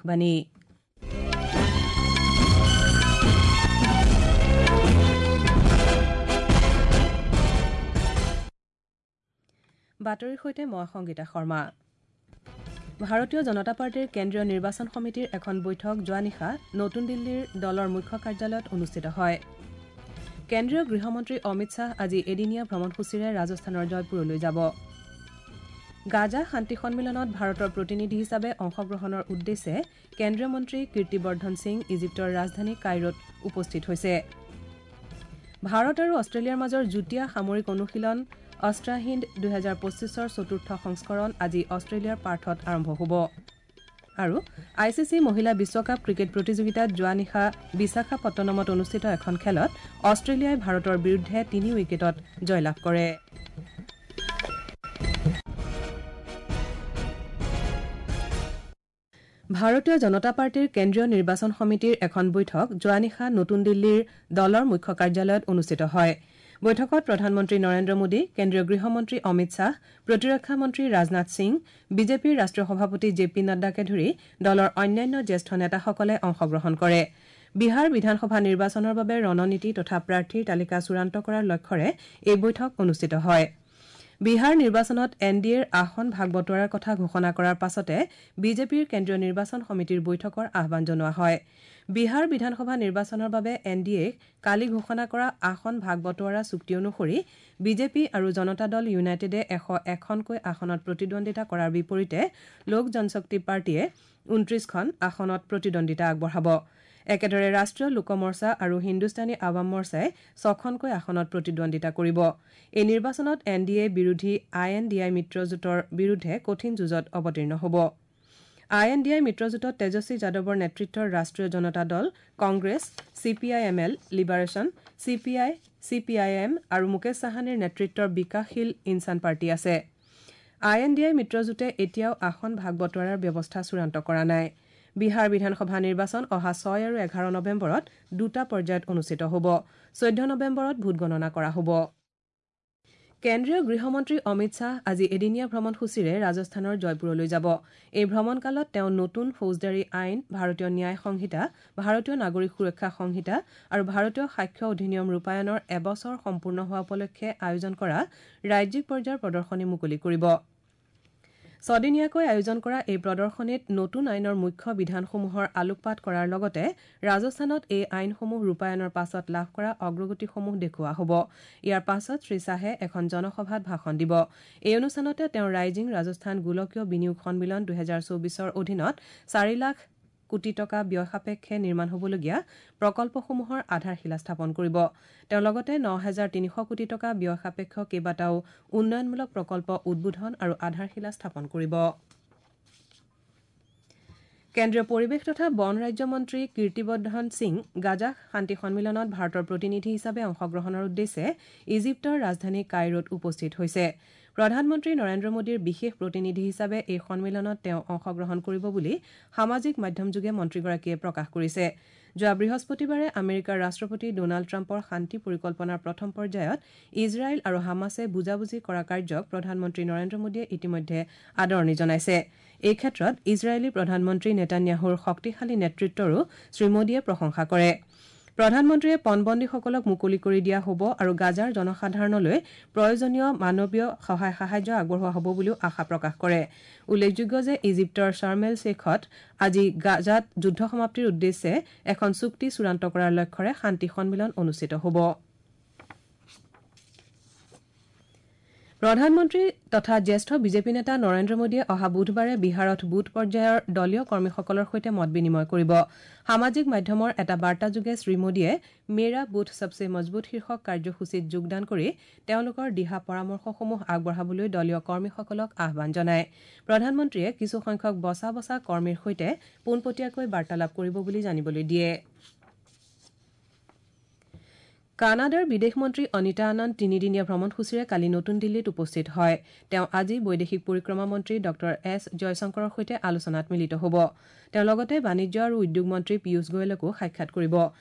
আকাশবাণী। বাতৰিৰ সৈতে মই সংগীতা শৰ্মা। ভাৰতীয় জনতা পাৰ্টীৰ কেন্দ্ৰীয় নিৰ্বাচন সমিতিৰ এখন বৈঠক যোৱা নিশা নতুন দিল্লীৰ দলৰ মুখ্য কাৰ্যালয়ত অনুষ্ঠিত হয়। কেন্দ্ৰীয় গৃহমন্ত্ৰী অমিত শ্বাহ আজি এদিনীয়া ভ্ৰমণসূচীৰে ৰাজস্থানৰ জয়পুৰলৈ যাব। গাজা শান্তি সন্মিলনত ভাৰতৰ প্ৰতিনিধি হিচাপে অংশগ্ৰহণৰ উদ্দেশ্যে কেন্দ্ৰীয় মন্ত্ৰী কীৰ্তিবৰ্ধন সিং ইজিপ্তৰ ৰাজধানী কাইৰোত উপস্থিত হৈছে। ভাৰত আৰু অষ্ট্ৰেলিয়াৰ মাজৰ যুটীয়া সামৰিক অনুশীলন অষ্ট্ৰাহিন্দ 2025ৰ চতুৰ্থ সংস্কৰণ আজি অষ্ট্ৰেলিয়াৰ পাৰ্থত আৰম্ভ হ'ব। আৰু I C C মহিলা বিশ্বকাপ ক্ৰিকেট প্ৰতিযোগিতাত যোৱা নিশা বিশাখাপট্টনমত অনুষ্ঠিত এখন খেলত অষ্ট্ৰেলিয়াই ভাৰতৰ বিৰুদ্ধে 3 উইকেটত জয়লাভ কৰে। ভাৰতীয় জনতা পাৰ্টীৰ কেন্দ্ৰীয় নিৰ্বাচন সমিতিৰ এখন বৈঠক যোৱা নিশা নতুন দিল্লীৰ দলৰ মুখ্য কাৰ্যালয়ত অনুষ্ঠিত হয়। বৈঠকত প্ৰধানমন্ত্ৰী নৰেন্দ্ৰ মোদী, কেন্দ্ৰীয় গৃহমন্ত্ৰী অমিত শ্বাহ, প্ৰতিৰক্ষা মন্ত্ৰী ৰাজনাথ সিং, বিজেপিৰ ৰাষ্ট্ৰীয় সভাপতি জে পি নাড্ডাকে ধৰি দলৰ অন্যান্য জ্যেষ্ঠ নেতাসকলে অংশগ্ৰহণ কৰে। বিহাৰ বিধানসভা নিৰ্বাচনৰ বাবে ৰণনীতি তথা প্ৰাৰ্থীৰ তালিকা চূড়ান্ত কৰাৰ লক্ষ্যৰে এই বৈঠক অনুষ্ঠিত হয়। বিহাৰ নিৰ্বাচনত এন ডি এৰ আসন ভাগ বটোৱাৰাৰ কথা ঘোষণা কৰাৰ পাছতে বিজেপিৰ কেন্দ্ৰীয় নিৰ্বাচন সমিতিৰ বৈঠকৰ আহ্বান জনোৱা হয়। বিহাৰ বিধানসভা নিৰ্বাচনৰ বাবে এন ডি এক কালি ঘোষণা কৰা আসন ভাগ বটোৱাৰা চুক্তি অনুসৰি বিজেপি আৰু জনতা দল ইউনাইটেডে 101খনকৈ আসনত প্ৰতিদ্বন্দ্বিতা কৰাৰ বিপৰীতে লোক জনশক্তি পাৰ্টীয়ে 29খন আসনত প্ৰতিদ্বন্দ্বিতা আগবঢ়াব। একেদৰে ৰাষ্ট্ৰীয় লোক মৰ্চা আৰু হিন্দুস্তানী আৱাম মৰ্চাই 6খনকৈ আসনত প্ৰতিদ্বন্দ্বিতা কৰিব। এই নিৰ্বাচনত এন ডি এ বিৰোধী আই এন ডি আই মিত্ৰজোঁটৰ বিৰুদ্ধে কঠিন যুঁজত অৱতীৰ্ণ হ'ব। আই এন ডি আই মিত্ৰজোঁটত তেজস্বী যাদৱৰ নেতৃত্বৰ Rashtriya Janata Dal, Congress, C P I M L, Liberation, C P I, C P I M আৰু মুকেশ চাহানীৰ নেতৃত্বৰ বিকাশশীল ইনচান পাৰ্টী আছে। আই এন ডি আই মিত্ৰজোঁটে এতিয়াও আসন ভাগ বটোৱাৰাৰ ব্যৱস্থা চূড়ান্ত কৰা নাই। বিহাৰ বিধানসভা নিৰ্বাচন অহা 6 আৰু 11 নৱেম্বৰত দুটা পৰ্যায়ত অনুষ্ঠিত হ'ব। 14 নৱেম্বৰত ভোটগণনা কৰা হ'ব। কেন্দ্ৰীয় গৃহমন্ত্ৰী অমিত শ্বাহ আজি এদিনীয়া ভ্ৰমণসূচীৰে ৰাজস্থানৰ জয়পুৰলৈ যাব। এই ভ্ৰমণকালত তেওঁ নতুন ফৌজদাৰী আইন, ভাৰতীয় ন্যায় সংহিতা, ভাৰতীয় নাগৰিক সুৰক্ষা সংহিতা আৰু ভাৰতীয় সাক্ষ্য অধিনিয়ম ৰূপায়ণৰ এবছৰ সম্পূৰ্ণ হোৱা উপলক্ষে আয়োজন কৰা ৰাজ্যিক পৰ্যায়ৰ প্ৰদৰ্শনী মুকলি কৰিব। ছদিনীয়াকৈ আয়োজন কৰা এই প্ৰদৰ্শনীত নতুন আইনৰ মুখ্য বিধানসমূহৰ আলোকপাত কৰাৰ লগতে ৰাজস্থানত এই আইনসমূহ ৰূপায়ণৰ পাছত লাভ কৰা অগ্ৰগতিসমূহ দেখুওৱা হ'ব। ইয়াৰ পাছত শ্ৰী শ্বাহে এখন জনসভাত ভাষণ দিব। এই অনুষ্ঠানতে তেওঁ ৰাইজিং ৰাজস্থান গোলকীয় বিনিয়োগ সন্মিলন 2024ৰ অধীনত 4 লাখ কোটি টকা ব্যয় সাপেক্ষে নিৰ্মাণ হ'বলগীয়া প্ৰকল্পসমূহৰ আধাৰশিলা স্থাপন কৰিব। তেওঁ লগতে 9,300 কোটি টকা ব্যয় সাপেক্ষ কেইবাটাও উন্নয়নমূলক প্ৰকল্প উদ্বোধন আৰু আধাৰশিলা স্থাপন কৰিব। কেন্দ্ৰীয় পৰিৱেশ তথা বন ৰাজ্যমন্ত্ৰী কীৰ্তিবৰ্ধন সিং গাজা শান্তি সন্মিলনত ভাৰতৰ প্ৰতিনিধি হিচাপে অংশগ্ৰহণৰ উদ্দেশ্যে ইজিপ্তৰ ৰাজধানী কাইৰোত উপস্থিত হৈছে। প্ৰধানমন্ত্ৰী নৰেন্দ্ৰ মোদীৰ বিশেষ প্ৰতিনিধি হিচাপে এই সন্মিলনত তেওঁ অংশগ্ৰহণ কৰিব বুলি সামাজিক মাধ্যমযোগে মন্ত্ৰীগৰাকীয়ে প্ৰকাশ কৰিছে। যোৱা বৃহস্পতিবাৰে আমেৰিকাৰ ৰাষ্ট্ৰপতি ডোনাল্ড ট্ৰাম্পৰ শান্তি পৰিকল্পনাৰ প্ৰথম পৰ্যায়ত ইজৰাইল আৰু হামাছে বুজাবুজি কৰা কাৰ্যক প্ৰধানমন্ত্ৰী নৰেন্দ্ৰ মোদীয়ে ইতিমধ্যে আদৰণি জনাইছে। এই ক্ষেত্ৰত ইজৰাইলী প্ৰধানমন্ত্ৰী নেতান্যাহুৰ শক্তিশালী নেতৃত্বৰো শ্ৰীমোদীয়ে প্ৰশংসা কৰে। প্ৰধানমন্ত্ৰীয়ে পণবন্দীসকলক মুকলি কৰি দিয়া হ'ব আৰু গাজাৰ জনসাধাৰণলৈ প্ৰয়োজনীয় মানৱীয় সহায় সাহায্য আগবঢ়োৱা হ'ব বুলিও আশা প্ৰকাশ কৰে। উল্লেখযোগ্য যে ইজিপ্তৰ শ্বাৰ্ম এল শ্বেখত আজি গাজাত যুদ্ধ সমাপ্তিৰ উদ্দেশ্যে এখন চুক্তি চূড়ান্ত কৰাৰ লক্ষ্যৰে শান্তি সন্মিলন অনুষ্ঠিত হ'ব। প্ৰধানমন্ত্ৰী তথা জ্যেষ্ঠ বিজেপি নেতা নৰেন্দ্ৰ মোদীয়ে অহা বুধবাৰে বিহাৰত বুথ পৰ্যায়ৰ দলীয় কৰ্মীসকলৰ সৈতে মত বিনিময় কৰিব। সামাজিক মাধ্যমৰ এটা বাৰ্তাযোগে শ্ৰীমোদীয়ে মেৰা বুথ সবচে মজবুত শীৰ্ষক কাৰ্যসূচীত যোগদান কৰি তেওঁলোকৰ দিহা পৰামৰ্শসমূহ আগবঢ়াবলৈ দলীয় কৰ্মীসকলক আহ্বান জনায়। প্ৰধানমন্ত্ৰীয়ে কিছুসংখ্যক বচা বচা কৰ্মীৰ সৈতে পোনপটীয়াকৈ বাৰ্তালাপ কৰিব বুলি জানিবলৈ দিয়ে। কানাডাৰ বিদেশ মন্ত্ৰী অনিতা আনন্দ তিনিদিনীয়া ভ্ৰমণসূচীৰে কালি নতুন দিল্লীত উপস্থিত হয়। তেওঁ আজি বৈদেশিক পৰিক্ৰমা মন্ত্ৰী ডঃ এছ জয়শংকৰৰ সৈতে আলোচনাত মিলিত হ'ব। তেওঁ লগতে বাণিজ্য আৰু উদ্যোগ মন্ত্ৰী পীয়ুষ গোৱেলকো সাক্ষাৎ কৰিব।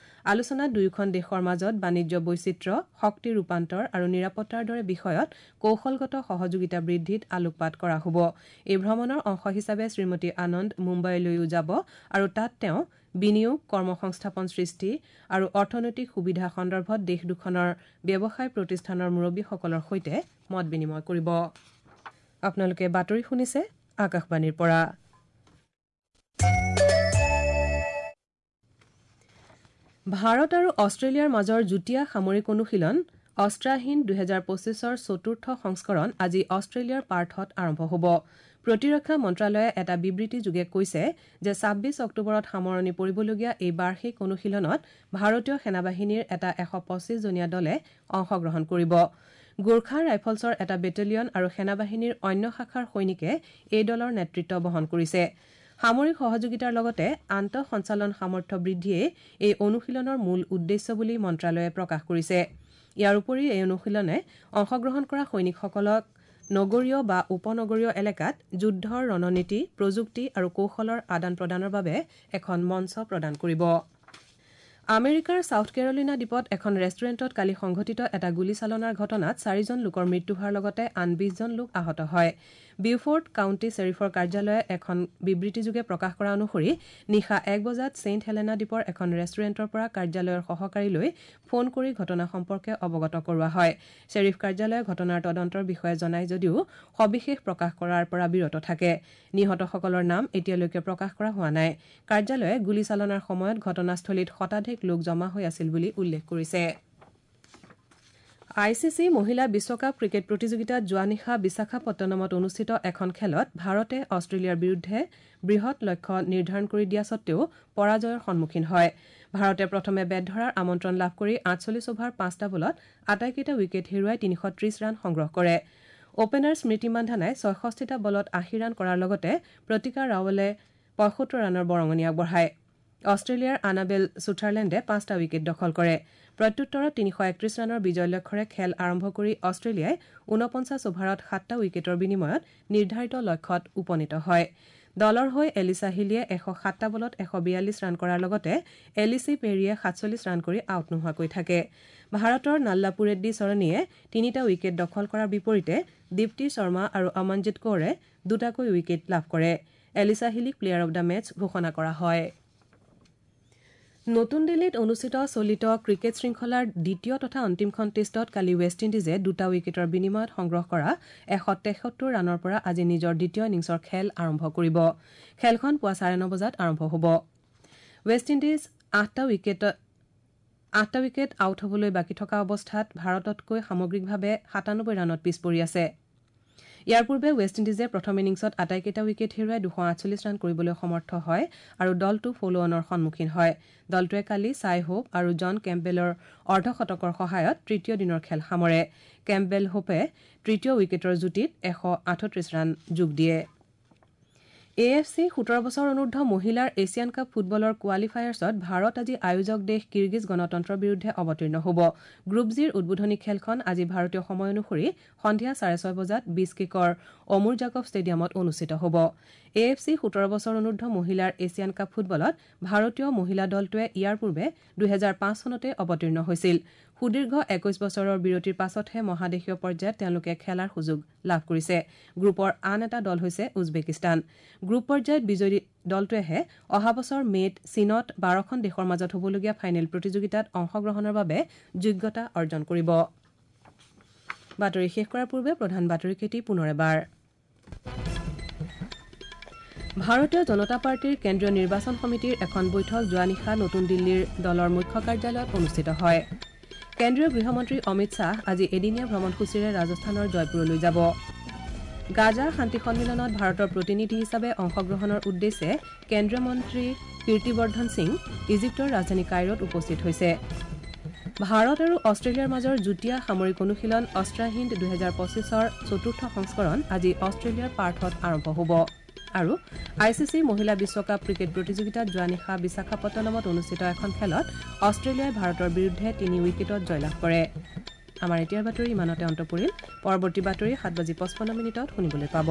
আলোচনাত দুয়োখন দেশৰ মাজত বাণিজ্য বৈচিত্ৰ্য, শক্তি ৰূপান্তৰ আৰু নিৰাপত্তাৰ দৰে বিষয়ত কৌশলগত সহযোগিতা বৃদ্ধিত আলোকপাত কৰা হ'ব। এই ভ্ৰমণৰ অংশ হিচাপে শ্ৰীমতী আনন্দ মুম্বাইলৈও যাব আৰু তাত তেওঁ বিনিয়োগ, কৰ্মসংস্থাপন সৃষ্টি আৰু অৰ্থনৈতিক সুবিধা সন্দৰ্ভত দেশ দুখনৰ ব্যৱসায় প্ৰতিষ্ঠানৰ মুৰব্বীসকলৰ সৈতে মত বিনিময় কৰিব। আপোনালোকে বাতৰি শুনিছে আকাশবাণীৰ পৰা। ভাৰত আৰু অষ্ট্ৰেলিয়াৰ মাজৰ যুটীয়া সামৰিক অনুশীলন অষ্ট্ৰাহিন্দ 2025ৰ চতুৰ্থ সংস্কৰণ আজি অষ্ট্ৰেলিয়াৰ পাৰ্থত আৰম্ভ হ'ব। প্ৰতিৰক্ষা মন্ত্ৰালয়ে এটা বিবৃতিযোগে কৈছে যে 26 অক্টোবৰত সামৰণি পৰিবলগীয়া এই বাৰ্ষিক অনুশীলনত ভাৰতীয় সেনাবাহিনীৰ এটা 125 জনীয়া দলে অংশগ্ৰহণ কৰিব। গোৰ্খা ৰাইফলছৰ এটা বেটেলিয়ন আৰু সেনাবাহিনীৰ অন্য শাখাৰ সৈনিকে এই দলৰ নেতৃত্ব বহন কৰিছে। সামৰিক সহযোগিতাৰ লগতে আন্তঃসঞ্চালন সামৰ্থ্য বৃদ্ধিয়েই এই অনুশীলনৰ মূল উদ্দেশ্য বুলি মন্ত্ৰালয়ে প্ৰকাশ কৰিছে। ইয়াৰ উপৰি এই অনুশীলনে অংশগ্ৰহণ কৰা সৈনিকসকলক নগৰীয় বা উপনগৰীয় এলেকাত যুদ্ধৰ ৰণনীতি, প্ৰযুক্তি আৰু কৌশলৰ আদান প্ৰদানৰ বাবে এখন মঞ্চ প্ৰদান কৰিব। আমেৰিকাৰ ছাউথ কেৰলিনা দ্বীপত এখন ৰেষ্টুৰেণ্টত কালি সংঘটিত এটা গুলীচালনাৰ ঘটনাত 4জন লোকৰ মৃত্যু হোৱাৰ লগতে আন 20জন লোক আহত হয়। বিউফৰ্ড কাউণ্টি শ্বেৰিফৰ কাৰ্যালয়ে এখন বিবৃতিযোগে প্ৰকাশ কৰা অনুসৰি নিশা 1 বজাত ছেইণ্ট হেলেনা দ্বীপৰ এখন ৰেষ্টুৰেণ্টৰ পৰা কাৰ্যালয়ৰ সহকাৰীলৈ ফোন কৰি ঘটনা সম্পৰ্কে অৱগত কৰোৱা হয়। শ্বেৰিফ কাৰ্যালয়ে ঘটনাৰ তদন্তৰ বিষয়ে জনায় যদিও সবিশেষ প্ৰকাশ কৰাৰ পৰা বিৰত থাকে। নিহতসকলৰ নাম এতিয়ালৈকে প্ৰকাশ কৰা হোৱা নাই। কাৰ্যালয়ে গুলীচালনাৰ সময়ত ঘটনাস্থলীত শতাধিক লোক জমা হৈ আছিল বুলি উল্লেখ কৰিছে। I C C মহিলা বিশ্বকাপ ক্ৰিকেট প্ৰতিযোগিতাত যোৱা নিশা বিশাখাপট্টনমত অনুষ্ঠিত এখন খেলত ভাৰতে অষ্ট্ৰেলিয়াৰ বিৰুদ্ধে বৃহৎ লক্ষ্য নিৰ্ধাৰণ কৰি দিয়া সত্ত্বেও পৰাজয়ৰ সন্মুখীন হয়। ভাৰতে প্ৰথমে বেট ধৰাৰ আমন্ত্ৰণ লাভ কৰি 48 অভাৰ 5টা বলত আটাইকেইটা উইকেট হেৰুৱাই 330 ৰান সংগ্ৰহ কৰে। অপেনাৰ স্মৃতি মান্ধানাই 66টা বলত 80 ৰান কৰাৰ লগতে প্ৰতিকা ৰাৱলে 75 ৰানৰ বৰঙণি আগবঢ়ায়। অষ্ট্ৰেলিয়াৰ আনাবেল ছুথাৰলেণ্ডে 5টা উইকেট দখল কৰে। প্ৰত্যুত্তৰত 331 ৰানৰ বিজয় লক্ষ্যৰে খেল আৰম্ভ কৰি অষ্ট্ৰেলিয়াই 49 অভাৰত 7টা উইকেটৰ বিনিময়ত নিৰ্ধাৰিত লক্ষ্যত উপনীত হয়। দলৰ হৈ এলিছা হিলিয়ে 107টা বলত 142 ৰান কৰাৰ লগতে এলিচি পেৰীয়ে 47 ৰান কৰি আউট নোহোৱাকৈ থাকে। ভাৰতৰ নাল্লাপুৰেড্ডী চৰণীয়ে 3টা উইকেট দখল কৰাৰ বিপৰীতে দীপ্তি শৰ্মা আৰু অমনজিৎ কৌৰে 2টাকৈ উইকেট লাভ কৰে। এলিছা হিলিক প্লেয়াৰ অব the match ঘোষণা কৰা হয়। নতুন দিল্লীত অনুষ্ঠিত চলিত ক্ৰিকেট শৃংখলাৰ দ্বিতীয় তথা অন্তিমখন টেষ্টত কালি ৱেষ্ট ইণ্ডিজে 2টা উইকেটৰ বিনিময়ত সংগ্ৰহ কৰা 173 ৰানৰ পৰা আজি নিজৰ দ্বিতীয় ইনিংছৰ খেল আৰম্ভ কৰিব। খেলখন পুৱা 9:30 বজাত আৰম্ভ হ'ব। ৱেষ্ট ইণ্ডিজ 8টা উইকেট আউট হ'বলৈ বাকী থকা অৱস্থাত ভাৰততকৈ সামগ্ৰিকভাৱে 97 ৰানত পিছ পৰি আছে। ইয়াৰ পূৰ্বে ৱেষ্ট ইণ্ডিজে প্ৰথম ইনিংছত আটাইকেইটা উইকেট হেৰুৱাই 248 ৰান কৰিবলৈ সমৰ্থ হয় আৰু দলটো ফ'ল'-অনৰ সন্মুখীন হয়। দলটোৱে কালি ছাই হোপ আৰু জন কেম্পবেলৰ অৰ্ধশতকৰ সহায়ত তৃতীয় দিনৰ খেল সামৰে। কেম্পবেল হোপে তৃতীয় উইকেটৰ যুটিত 138 ৰান যোগ দিয়ে। এ এফ চি 17 বছৰ অনুৰ্ধ মহিলাৰ এছিয়ান কাপ ফুটবলৰ কোৱালিফায়াৰ্ছত ভাৰত আজি আয়োজক দেশ কিৰ্গিজ গণতন্ত্ৰৰ বিৰুদ্ধে অৱতীৰ্ণ হ'ব। গ্ৰুপ জিৰ উদ্বোধনী খেলখন আজি ভাৰতীয় সময় অনুসৰি সন্ধিয়া 6:30 বজাত বিছকেকৰ অমুৰজাকভ ষ্টেডিয়ামত অনুষ্ঠিত হ'ব। এ এফ চি 17 বছৰ অনুৰ্ধ মহিলাৰ এছিয়ান কাপ ফুটবলত ভাৰতীয় মহিলা দলটোৱে ইয়াৰ পূৰ্বে 2005 চনতে অৱতীৰ্ণ হৈছিল। সুদীৰ্ঘ 21 বছৰৰ বিৰতিৰ পাছতহে মহাদেশীয় পৰ্যায়ত তেওঁলোকে খেলাৰ সুযোগ লাভ কৰিছে। গ্ৰুপৰ আন এটা দল হৈছে উজবেকিস্তান। গ্ৰুপ পৰ্যায়ত বিজয়ী দলটোৱেহে অহা বছৰ মে'ত চীনত 12খন দেশৰ মাজত হ'বলগীয়া ফাইনেল প্ৰতিযোগিতাত অংশগ্ৰহণৰ বাবে যোগ্যতা অৰ্জন কৰিব। বাতৰি শেষ কৰাৰ পূৰ্বে প্ৰধান বাতৰিকেইটি পুনৰ এবাৰ। ভাৰতীয় জনতা পাৰ্টীৰ কেন্দ্ৰীয় নিৰ্বাচন সমিতিৰ এখন বৈঠক যোৱা নিশা নতুন দিল্লীৰ দলৰ মুখ্য কাৰ্যালয়ত অনুষ্ঠিত হয়। কেন্দ্ৰীয় গৃহমন্ত্ৰী অমিত শ্বাহ আজি এদিনীয়া ভ্ৰমণসূচীৰে ৰাজস্থানৰ জয়পুৰলৈ যাব। গাজা শান্তি সন্মিলনত ভাৰতৰ প্ৰতিনিধি হিচাপে অংশগ্ৰহণৰ উদ্দেশ্যে কেন্দ্ৰীয় মন্ত্ৰী কীৰ্তিবৰ্ধন সিং ইজিপ্তৰ ৰাজধানী কাইৰোত উপস্থিত হৈছে। ভাৰত আৰু অষ্ট্ৰেলিয়াৰ মাজৰ যুটীয়া সামৰিক অনুশীলন অষ্ট্ৰাহিন্দ 2025ৰ চতুৰ্থ সংস্কৰণ আজি অষ্ট্ৰেলিয়াৰ পাৰ্থত আৰম্ভ হ'ব। আৰু I C C মহিলা বিশ্বকাপ ক্ৰিকেট প্ৰতিযোগিতাত যোৱা নিশা বিশাখাপট্টনমত অনুষ্ঠিত এখন খেলত অষ্ট্ৰেলিয়াই ভাৰতৰ বিৰুদ্ধে 3 উইকেটত জয়লাভ কৰে। আমাৰ এতিয়াৰ বাতৰি ইমানতে অন্ত পৰিল। পৰৱৰ্তী বাতৰি 7:55 শুনিবলৈ পাব।